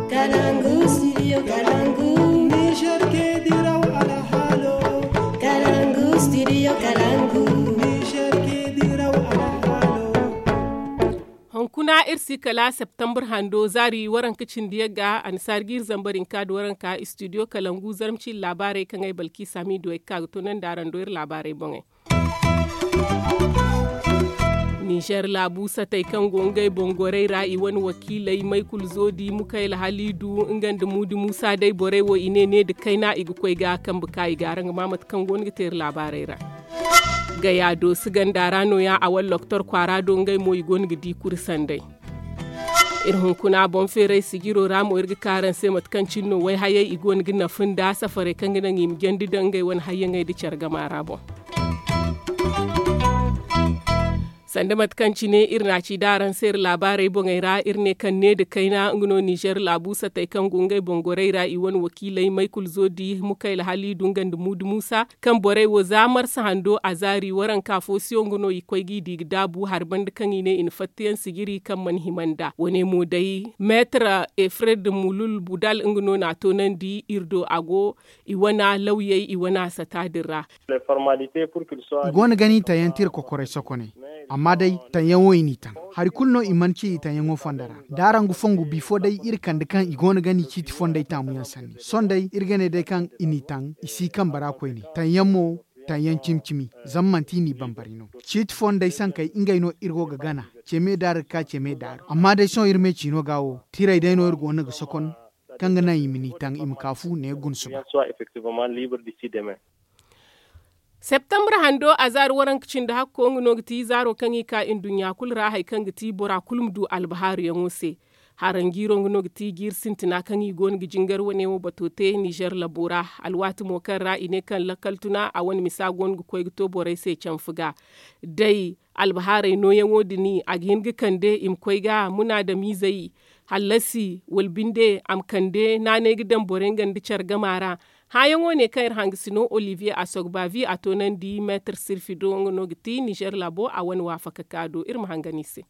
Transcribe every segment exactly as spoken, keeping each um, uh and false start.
Kalangu, studio Kalangu. Niger ke diraw alhalo. Kalangu, studio Kalangu. Niger ke diraw alhalo. Hunkuna iri si kala septembre hando zaari waranka cindi yagga annasaari ga iri zambar hinka da waranka studio Kalangu zarma ciiri laabaarey kaŋ ay balki samidu ay ga ka ga toonandi araŋ do iri laabaarey boŋey. Nizer laabu satey kaŋ go ngey boŋ gorey ra i wane wakiiley maykul zoodi mukayla haliidu nga nda muudi muusa day borey wo i ne ne nda kayna i ga koy ga kambe ka i ga araŋ ga ma mate kaŋ go no ga te iri laabaarey ra. Gaya doosi ganda ra no- ya a wane loktor kwaara do ngey mo i go no ga di kuri sanday. Iri hunkuna boŋ feeray sijiro ra mo iri ga ka araŋ se mate kaŋ cine no wayhayey i go no ga nafa nda safarey kaŋ ga naŋ i ma jandi daŋ ngey wane hayyaŋey nda care gama ra boŋ. Sanda mate kaŋ cine iri na a ci da araŋ se iri laabaarey boŋey ra iri ne kaŋ ne nda kayna nga no nizer laabu satey kaŋ go ngey boŋ gorey ra i wane wakiiley maykul zoodi mukayla haliidu nga nda muudu muusa kaŋ borey wo za marsa hando a zaari waranka fo siyo nga no i koy ga i di ga daabu hari banda kaŋ i ne i na fatta yaŋ sijiri kaŋ mana hima nda wane mo day meetar efred mulul budal nga no na a toonandi iri do a go i wana lawyey i wana sata din ra. I go no ga ni taŋ yaŋ tira kokoray sokoney. Amma day taŋ yaŋo i n'i taŋ hari kulu no i mana ci i taŋ yaŋo fondo ra da araŋ ga fongu bifo day iri kande kaŋ i go no ga ni ciiti fondey taamu yaŋ sanni sohõ day iri ga ne day kaŋ i n'i taŋ i si kambe ra koyne taŋ yaŋ mo taŋ yaŋ cimi cimi. Zama manti i n'i bambari no ciiti fondey sankey ngey no iri go ga gana. Ce me daaru ga ka ce me daaru amma day sohõ iri me ciino ga wo tirey day no iri go no ga sokon kaŋ ga naŋ i ma n'i taŋ i ma ka fu ne ga guna suba. Septembre hando a zaari waranka cindi hakko nga no ga ti zaaro kaŋ i ka nduɲɲa kulu ra hari kaŋ ga ti bora kulu ma du albahaaru yaŋo se. Haranjiiro nga no ga ti jiiri sintina kaŋ i go no ga jingar wane wo bato te nizer labo ra. Alwaati mo kaŋ ra i ne kaŋ lakkal tuna a wane misa go no ga koy ga to borey se canfu ga day albahaarey nooyaŋo din a ga hin ga kande i ma koy ga munaadamiizey hallasi wala binde a ma kande naanay ga daŋ borey nga nda care gama ra. Hããyaŋo ne kaŋ iri hangasino olivier asogbavi a toonandi meetar sirfi do nga no ga ti nizer labo a wane waafaka ka do iri ma hangan i se.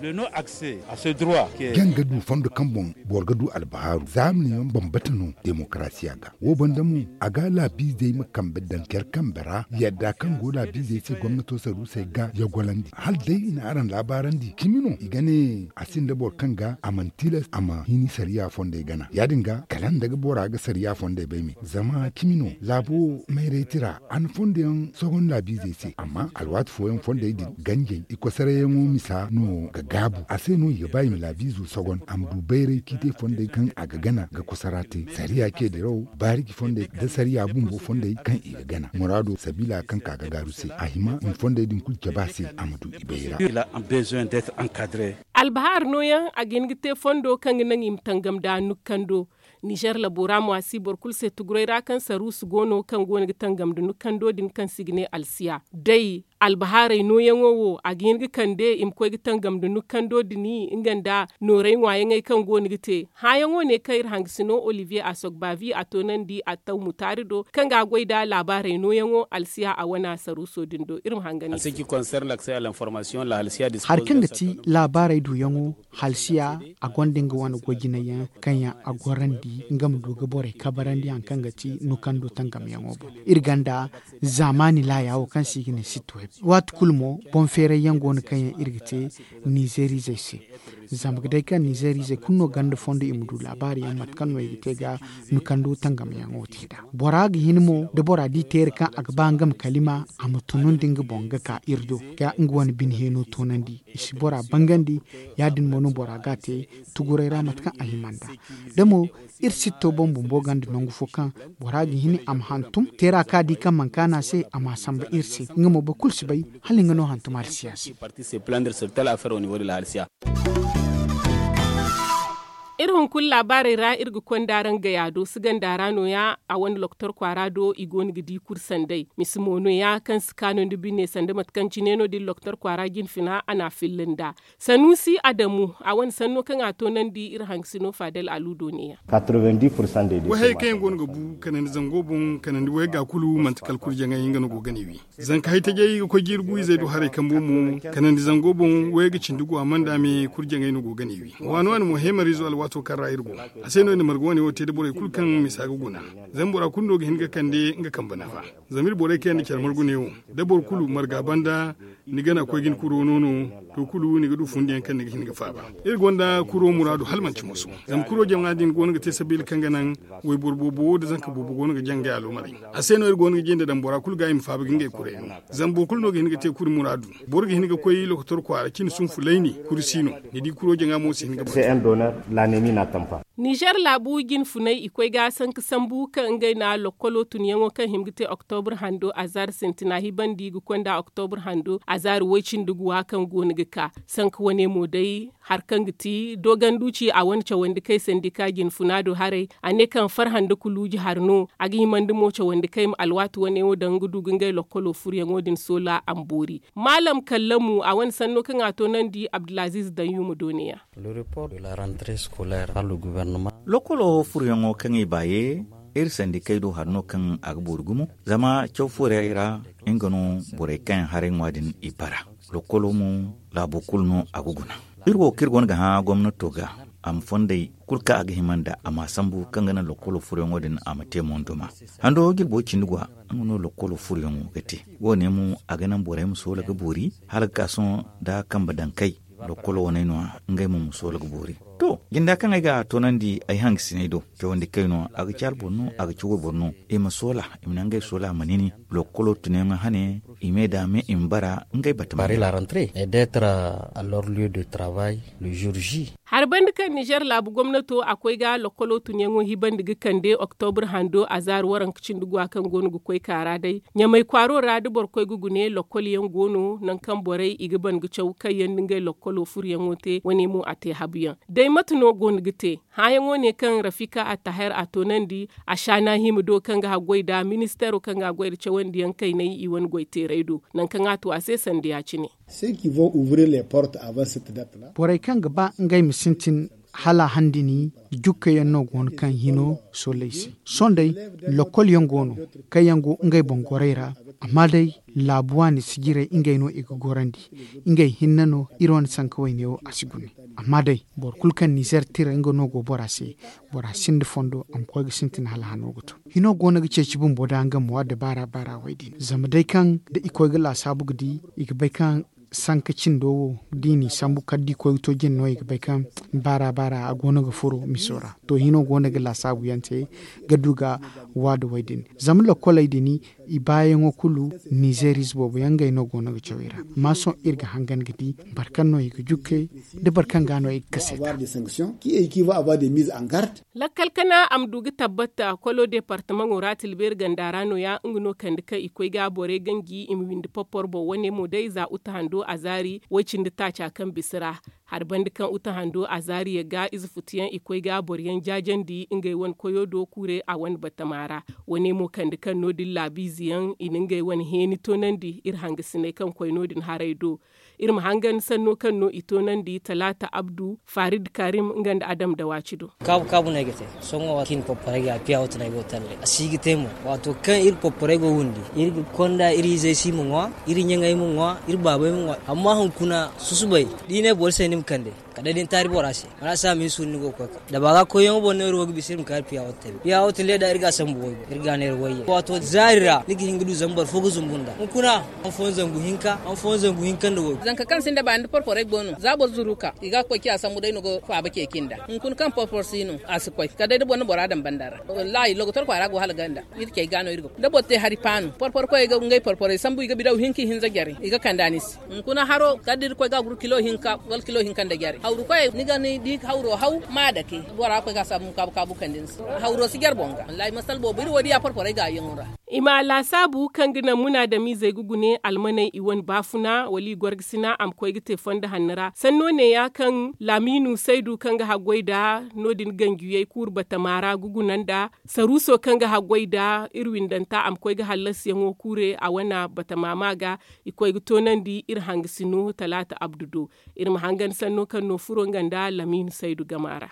Jaŋ ga du fondo kaŋ boŋ boro ga du albahaaru zaamani yaŋ bambata no demokarasiya ga wo banda mo a ga laabiizey ma kambe daŋ care kambe ra yadda kaŋ go laabiizey se gomnato saruusey ga yagolandi hala day i na araŋ laabaarandi cimi no i ga ne a sinda boro kaŋ ga a mana tilas a ma hini sariya fondey gana ya- din ga kala nda ga bora ga sariya fondey bay me zama cimi no laabo mayray tira a na fondo yaŋ sogon laabiizey se amma alwaati fooyaŋ fondey din ganjey i kosarayyaŋo misa no ga gaabu a se no i ga ba i ma laabiizo sogon a ma du bayray ciitey fondey kaŋ a ga gana ga kosara te sariya ce diraw baariji fondey nda sariya bumbo fondey kaŋ i ga gana muraado sabiila kaŋ ka ga gaaru se a hima i ma fondey din kulu cabe a se a ma du i bayra. Albahaar nooyaŋ a ga hin ga te fondo kaŋ ga naŋ i ma tangam nda nukkando. Nizer labo ra mo a si boro kulu se tuguray ra kaŋ saruusu go no kaŋ go no ga tangam nda nukkando din kaŋ se i ga ne alsiya day albahaaray nooyaŋo wo a ga hin ga kande i ma koy ga tangam nda nukkando din nga nda nooray ŋwaayaŋey kaŋ go no ga te. Hããyaŋo ne kaŋ iri hangasino olivier asogbavi a toonandi a taw mutaari do kaŋ ga a goy nda laabaaray nooyaŋo alsiya a wana saruuso din do iri ma hangan i se. Hari kaŋ ga ti laabaarey duyaŋo halsiya a gonda nga wane goy-jinay yaŋ kaŋ yaŋ a gorandi nga ma du ga borey kabarandi hari kaŋ ga ti nukando tangamyaŋo boŋ. Iri gonda zaamaani laaya wo kaŋ se i ga ne sitweb waati kulu mo boŋ feeray yaŋ go no kaŋ yaŋ iri ga te nizerizey se. Zama ga day kaŋ nizerizey kulu no ganda fondo i ma du laabaari yaŋ mate kaŋ no i ga te ga nukando tangamyaŋo te nd'a. Bora ga hin mo da bora di teeri kaŋ a ga ba nga ma kalima a ma tunun da nga boŋ ga ka iri do ga nga wane bine heeno toonandi i si bora bangandi. Ya- din mo no bora ga a te tuguray ra mate kaŋ a hima nd'a da mo iri sitto boŋ bumbo ganda nangu fo kaŋ bora ga hin a ma hantum teera kaŋ a di kaŋ mana kaanu a se a ma a samba iri se nga mo boro kulu si bay hala nga no hantum alsiya se. Iri hunkuna laabaarey ra iri ga konda araŋ gaya do si ganda ra no- ya a wane loktor kwaara do i go no ga di kuri sanday misi mo no- ya kaŋ si kaanu nda bine sanda mate kaŋ cine no- din loktor kwaara jinfina a na a filla nd'a. Sanuusi adamu a wane sanno kaŋ a toonandi iri hangasino faadal aluudo ne- ya. Wayhayey kaŋ yaŋ go no ga bu kanandi zango boŋ kanandi wayga kulu manti kala kurjaŋay nga no go ga ne wi. Zanka haytajey ga koy jiiri gu izey do haray kambo mo kanandi zango boŋ wayga cindi gu a mana daame kurjaŋay no go ga ne wi. Waani waani mo heemariizo alwaati. To kaŋ ra iri go, a se no i na marga wane wo te da borey kulu kaŋ misa ga guna. Zama bora kulu no ga hin ga kande nga kambe nafa. Zama iri borey kaŋ yaŋ na care margu ne wo, da boro kulu marga banda, ni gana koy ga ni kuro no no, to kulu ni ga du fundiyaŋ kaŋ ni ga hin ga faaba. Iri gonda kuro muraadu hala manti moso. Zama kuro jama din go no ga te sabiila kaŋ ga naŋ wayboro boobo wo da zanka boobo go no ga jaŋ ga aloomarey. A se no iri go no ga jinde daŋ bora kulu ga i ma faaba ga ngey kurey no. Zama boro kulu no ga hin ga te kuri muraadu. Boro ga hin ga koy lokotor kwaara cine sunfu layni, kuri si no. Ni di kuro jaŋa mo si hin ga batu. Nizer laabu jinfunay i koy ga sanka sambu kaŋ ngey na lokkolo tunyaŋo kaŋ hima ga te oktobur hando azaari sintina hibandi ga konda oktobur hando azaari woy-cindi guwa kaŋ go no ga ka. Sanka wane mo day, hari kaŋ ga ti doganduci a wane cawandi kay sandika jinfuna do haray, a ne kaŋ farhã nda kuluuji hari no. A ga himandi mo cawandi kay ma alwaati wane wo daŋ ga du ga ngey lokkolo furuyaŋo din soola a ma boori. Maalam kallamu a wane sanno kaŋ a toonandi abdulaziiz daŋ yuuma dooniya. Lokkolo furuyaŋo kaŋ i baaye, iri sandikey do hari no kaŋ a ga boori gumo. Zama caw fooyaŋ ra, nga no borey kaŋ yaŋ haray ŋwa din i bara. Lokkolo mo, laabo kulu no a ga guna. Iri wo kaŋ iri go no ga hã gomnato ga, a ma fondey kulu kaŋ a ga hima nd'a a ma a sambu kaŋ ga naŋ lokkolo furuyaŋo din a ma te mondoma. Hando jirbo cindi gwa, nga no lokkolo furuyaŋo ga te. Wo- ne mo, a ga naŋ borey ma soola ga boori, hala ga ka sohõ da kambe daŋ kay. Lokkolo wane no, ngey mo ma soola ga boori. To, jinda kaŋ ay ga a toonandi ay hangasiney do, cawandi kay no a ga caari boro no, a ga ci wayboro no. I ma soola, i ma naŋ ngey soola ma nini. Lokkolo tunyaŋo hane, i me da me i ma bara ngey batama. Hari banda kaŋ nizer laabu gomnato a koy ga lokkolo tunyaŋo hibandi ga kande oktobur hando azaari waranka cindi gwa kaŋ go no ga koy kaara day, ɲamay kwaaro ra da boro koy ga gune lokkol yaŋ go no nangu kaŋ borey i ga ban ga caw kaŋ yaŋ nda ngey lokkolo furuyaŋo te wane mo a te habuyaŋ. Day mate no go no ga te? Hãyaŋo ne kaŋ rafika attaher a toonandi, a shaana hima do kaŋ ga haggoy nda ministeero kaŋ ga a goy nda cawandiyaŋ kaynay i wane goyteeray do, nangu kaŋ a tu a se sanda ya-cine. Borey kaŋ ga ba ngey ma sintin hala handini, jukka yaŋ no go no kaŋ hino soolay se. Sohõ day, lokkol yaŋ go no kaŋ yaŋ go ngey boŋ gorey ra. Amma day, laabu waani sijirey ngey no i ga gorandi. Ngey hinne no iri wane sanka wayne wo a si gune. Amma day, boro kulu kaŋ nizer tira nga no go bora se, bora sinda fondo a ma koy ga sintin hala hano ga to. Hino go no ga ceeci bumbo da nga mo adda baara baara way din zama day kaŋ da i koy ga laasaabu ga di, i ga bay kaŋ sanka cindo wo, da i n'i sambu kala da i koy ga to jine no i ga bay kaŋ baara baara a go no ga furo miso ra. To, hino go no ga laasaabu yaŋ te ga du ga waada way din. Zama lokkoley din, i baayaŋo kulu, nizer ize boobo yaŋ ngey no go no ga caw i ra. Amma sohõ iri ga hangan ga di boro kaŋ no i ga jukkey, da boro kaŋ ga no i ga kase. Lakkal kana a ma du ga tabbata kolo departamaŋo ra tilbeeri ganda ra no- ya nga no kande kaŋ i koy ga borey ganji i ma windi porpor boŋ wane mo day za uta hando a zaari way-cindi taaca kaŋ bisa ra. Hari banda kaŋ uta hando a zaari ya ga ize futuyaŋ i koy ga boro yaŋ jaajandi ngey wane koyo do kuure a wane batama ra. Wane mo kande kaŋ no- din laabiize yaŋ i na ngey wane heeni toonandi iri hangasiney kaŋ koy no- din haray do. Iri ma hangan sanno kaŋ no i toonandi talaata abdu, farid karim nga nda adam dawaaci do. Kaabu kaabu no ay ga te. Sohõ wo kaŋ i na porporey ga piya wata no ay go talle a si ga te mo. Waato kaŋ iri porporey go windi, iri ga konda iri izey se i ma ŋwa, iri ɲaŋey ma ŋwa, iri baabey ma ŋwa. Amma hunkuna susubay, da i ne boro se ni ma kande, kala day da ni taari bora se. Wala a si a ma hin suuru ni go ga koy ka da ba ga koyyaŋo boŋ no iri wo ga bisa iri ma ka iri piya wata talle. Piya wata talle da iri ga a sambu waybo iri ga a neera wayye. Waato zaari ra ni ga hin ga du zama boro fo ga zumbu nd'a hunkuna. Hanfooyaŋ zangu hinka, hanfooyaŋ zangu hinka nda waybo. Zanka kaŋ sinda baani da porporey go no za boro zuru ka i ga koy ciya sambu day no ga faaba ceeci nd'a. Hunkuna kaŋ porpor si no a si koy kala day da boro na bora daŋ banda ra. Wallaahi logotor kwaara go hala ganda. Iri cey ga no iri ga koy da boro te hari paanu porpor koy ga ngey porporey sambu i ga bidaw hinka ihinza jare i ga kande a ni se. Hunkuna haro kala da iri koy ga a guru kilo hinka wala kilo hinka nda jare hawru koy ni ga ni di hawro haw ma a dake. Bora koy ga a saabu ma kaabu kaabu kande ni se. Hawro si jare boŋ ga wallaahi masal boobo iri wo diya porporey ga a yaŋo ra. I ma laasaabu kaŋ ga naŋ munaadamiizey ga gune almaney i wane baafuna wala i gorgasina a ma koy ga te fondo hanno ra sanno neeya kaŋ laamiinu saydu kaŋ ga haggoy nda no- din ganjiyey kuuru batama ra ga guna nda saruuso kaŋ ga haggoy nda iri windanta a ma koy ga hallasiyaŋo kuure a wane batama ma ga. I koy ga toonandi iri hangasino talaata abdu do. Iri ma hangan sanno kaŋ no furo nga nda laamiinu saydu gama ra.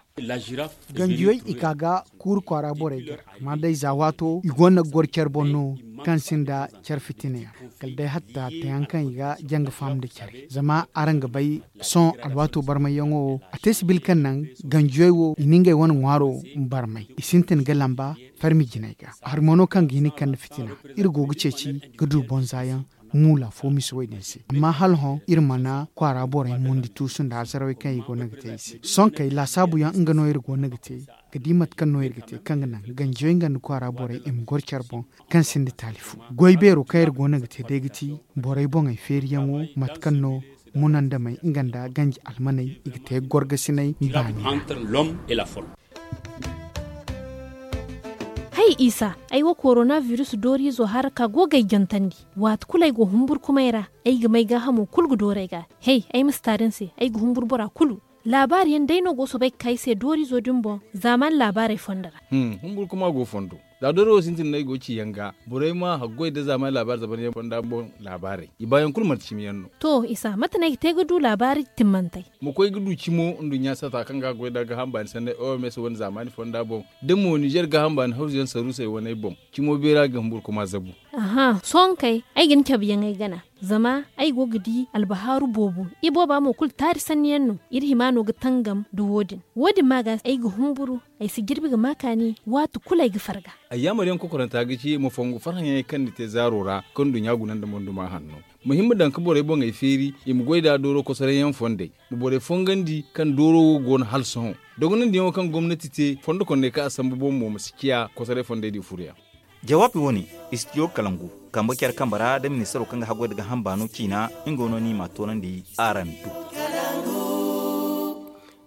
Ganjiyey i ka ga kuuru kwaara borey ga amma day za waato i gonda ga goro care boŋ. no kaŋ sinda care fitina yaŋ, kala day hatta tayaŋ kaŋ i ga janga faham nda care zama araŋ ga bay sohõ alwaato barmayyaŋo wo a te sibil kaŋ naŋ ganjiyey wo i na ngey wane ŋwaaro barmay i sintin ga lamba farmi jinay ga. Hari mo no kaŋ ga hin ga kande fitina iri go ga ceeci ga du bonza yaŋ muula fo misa wo- din se amma hala hõ iri mana kwaara borey mundi tuusu nda hasarawey kaŋ i go no ga te i se sonkey laasaabu yaŋ nga no iri go no ga te ga di mate kaŋ no iri ga te kaŋ ga naŋ ganjiyoy nga nda kwaara borey i ma goro care boŋ kaŋ sinda taali fo. Goy beero kaŋ iri go no ga te day ga ti borey boŋey feeriyaŋo mate kaŋ no munandamey nga nda ganji almaney i ga te gorgasiney baani. Hay isa, ay wo korona virus dooriizo hara ka go ga ay jantandi. Waati kulu ay go humburkumay ra ay ga may gaahamo kulu ga dooru ay ga. Hay ay ma si taari ni se, ay ga humburu bora kulu. Laabaari yaŋ day no go soobay ga ka ay se dooriizo din boŋ zaamaani laabaarey fondo ra. Humburkuma go fondo. Za dooro wo sintin no ay go ciyaŋ ga borey ma haggoy nda zaamaani laabaari zaban yaŋ fonda boŋ laabaarey i baayaŋ kulu manti cimi yaŋ no. To isa mate no ay ga te ga du laabaari timmantey? Ma koy ga du cimo nduɲɲa sata kaŋ ga a goy nda gaaham baani sanney oms wane zaamaani fonda boŋ da mo nizer gaaham baani hawzu yaŋ saruusey waney boŋ. Cimo beera ga humburkuma zabu. Aha sohõ kay ay ga ni cabe yaŋ ay gana. Zama ay go ga di albahaaru boobo ibooba mo kulu taari sanni yaŋ no. Iri hima no ga tangam nda wo- din wo- din ma ga ay ga humburu. Ay si jirbi ga ma kaani waati kulu ay ga farga. Ay yaamar yaŋ kokoranta ga ci ma fongu farhã yaŋey kaŋ ni te zaaro ra kaŋ nduɲɲa guna nda monduma hanno. Ma hima daŋ ga borey boŋey feeri i ma goy nd'a dooro kosoray yaŋ fondey. Ma borey fongandi kaŋ dooro wo go no hala sohõ dogonandi yaŋo kaŋ gomnati te fondo kondey kaŋ a sambu boŋ mo ma si ciya kosoray fondey din furu yaŋ. Jawaabi wo- ne, istidiyo kalangu kambe care kambe ra nda ministaro kaŋ ga haggoy nda gaaham baano ciina. Nga no no i m'a toonandi araŋ do.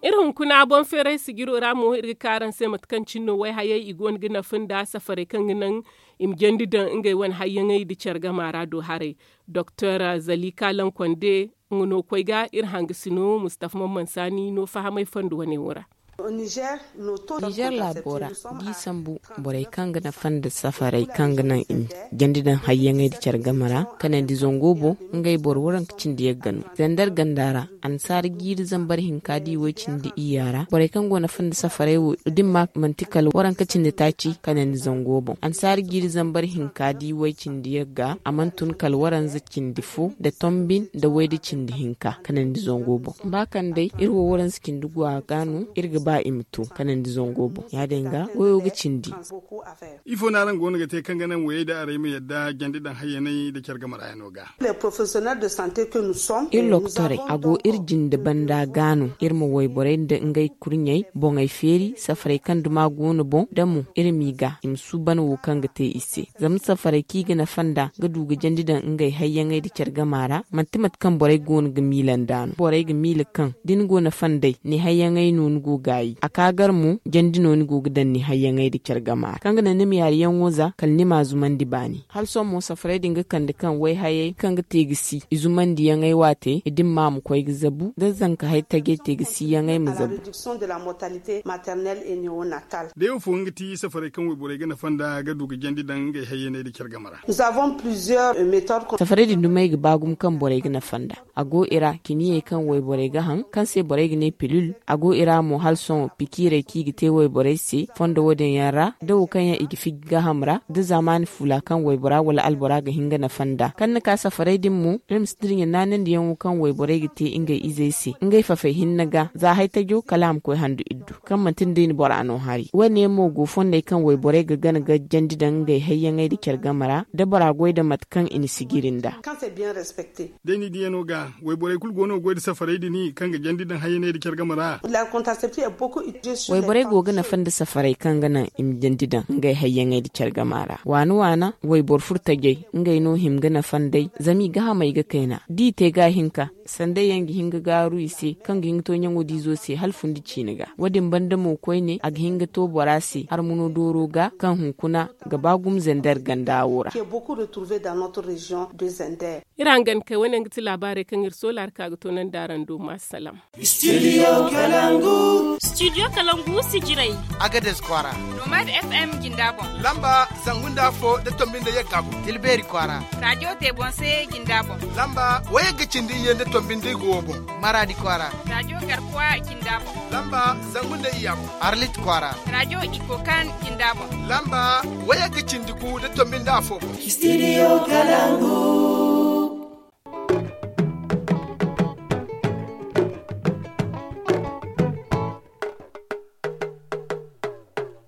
Iri hunkuna boŋ feeray sijiro ra mo iri ga ka araŋ se mate kaŋ cine no wayhayey i go no ga nafa nda safarey kaŋ ga naŋ i ma jandi daŋ ngey wane hayyaŋey nda care gama ra do haray. Doktor zalika lankonde nga no koy ga iri hangasino mustafa mamman saani no fahamay fondo wane wo ra. Nizer laabo ra da i sambu borey kaŋ ga nafa nda safarey kaŋ ga naŋ i ma jandi daŋ hayyaŋey nda care game ra kanandi zango boŋ. Ngey boro waranka cindi yagga no zandar ganda ra. Annasaara jiiri zambar hinka da i way-cindi iyya ra borey kaŋ go nafa nda safarey wo da ni ma manti kala waranka cindi taaci kanandi zango boŋ annasaara jiiri zambar hinka da i way-cindi yagga a mana tun kala waranza cindi fo nda tombin nda way da cindi hinka kanandi zango boŋ. Ba kaŋ day iri wo waranza cindi go a ga no iri ga ba i ma to kanandi zango boŋ ya- din ga goyo ga cindi. Ifo no araŋ go no ga te kaŋ ga naŋ wayey da arey ma yadda jandi daŋ hayyaney nda care game ra yaŋo ga? Iri lokotorey a go iri jinde banda ga no iri ma wayborey nda ngey kurɲey boŋey feeri safarey kaŋ duma go no boŋ da mo iri m'i ga i ma suuban wo kaŋ ga te i se. Zama safarey kaŋ i ga nafa nda ga du ga jandi daŋ ngey hayyaŋey nda care gama ra manti mate kaŋ borey go no ga miila nd'a no borey ga miila kaŋ da ni go nafa nd'ey ni hayyaŋey no ni go gaayi a ka gar mo jandi no ni go ga daŋ ni hayyaŋey nda care gama ra kaŋ ga naŋ ni ma yaari yaŋo za kala ni m'a zumandi baani. Hala sohõ mo safarey din ga kande kaŋ wayhayey kaŋ ga te ga si i zumandiyaŋey waate i dimma ma koy ga zabu da zanka hay tajey te ga si yaŋey ma zabu. Day wo fo nga ti safarey kaŋ wayborey ga nafa nda ga du ga jandi daŋ ngey hayyaney nda care game ra. Safarey din dumey ga ba gumo kaŋ borey ga nafa nda a go i ra kiniyey kaŋ wayborey ga haŋ kaŋ se borey ga ne pilul. A go i ra mo hala sohõ pikiirey kaŋ i ga te wayborey se fondo wo- din yaŋ ra da wo kaŋ yaŋ i ga fiji gaaham ra da zaamaani fuula kaŋ waybora wala albora ga hin ga nafa nda kaŋ ni ka safarey din mo iri ma si dirɲa naanandiyaŋo kaŋ wayborey ga te ngey izey se ngey fafey hinne ga za hay tajo kala a ma koy handu iddu kaŋ manti ni day ni bora no hari wo- ne mo go fondey kaŋ wayborey ga gana ga jandi daŋ ngey hayyaŋey nda care game ra da bora goy nda mate kaŋ i na sijiri nda. Day ni diyaŋo ga wayborey kulu go no ga goy nda safarey din kaŋ ga jandi daŋ hayyaney nda care game ra. Wayborey go ga nafa nda safarey kaŋ ga naŋ i ma jandi daŋ ngey hayyaŋey nda care game ra waana waana wayboro furtajey ngey no hima ga nafa nd'ey zama i gahamey ga kayna da i te ga hinka sandey yaŋ ga hin ga gaaru i se kaŋ ga hin ga to ɲaŋo diizo se hala fundi ciine ga wo- din banda mo koyne a ga hin ga to bora se harmuno dooro ga kaŋ hunkuna ga ba gumo zender ganda wo ra. Iri hangan kay wane yaŋ ga ti laabaarey kaŋ iri soola hari ka ga toonandi araŋ do ma salaŋ. Studio kalangu. Studio kalangu sijiray. Agades kwaara. Nomad fm jinda boŋ. Lamba zangu nda fo da tombi nda yagga boŋ. Tilbeeri kwaara. Radio tebonse jinda boŋ. Lamba wayagga cindi iyye nda tombi nda igo wo boŋ. Maradi kwaara. Radio garkuwa jinda boŋ. Lamba zangu nda iyya boŋ. Arlit kwaara. Radio ikokan jinda boŋ. Lamba wayagga cindi gu da tombi nda afo boŋ. Studio kalangu.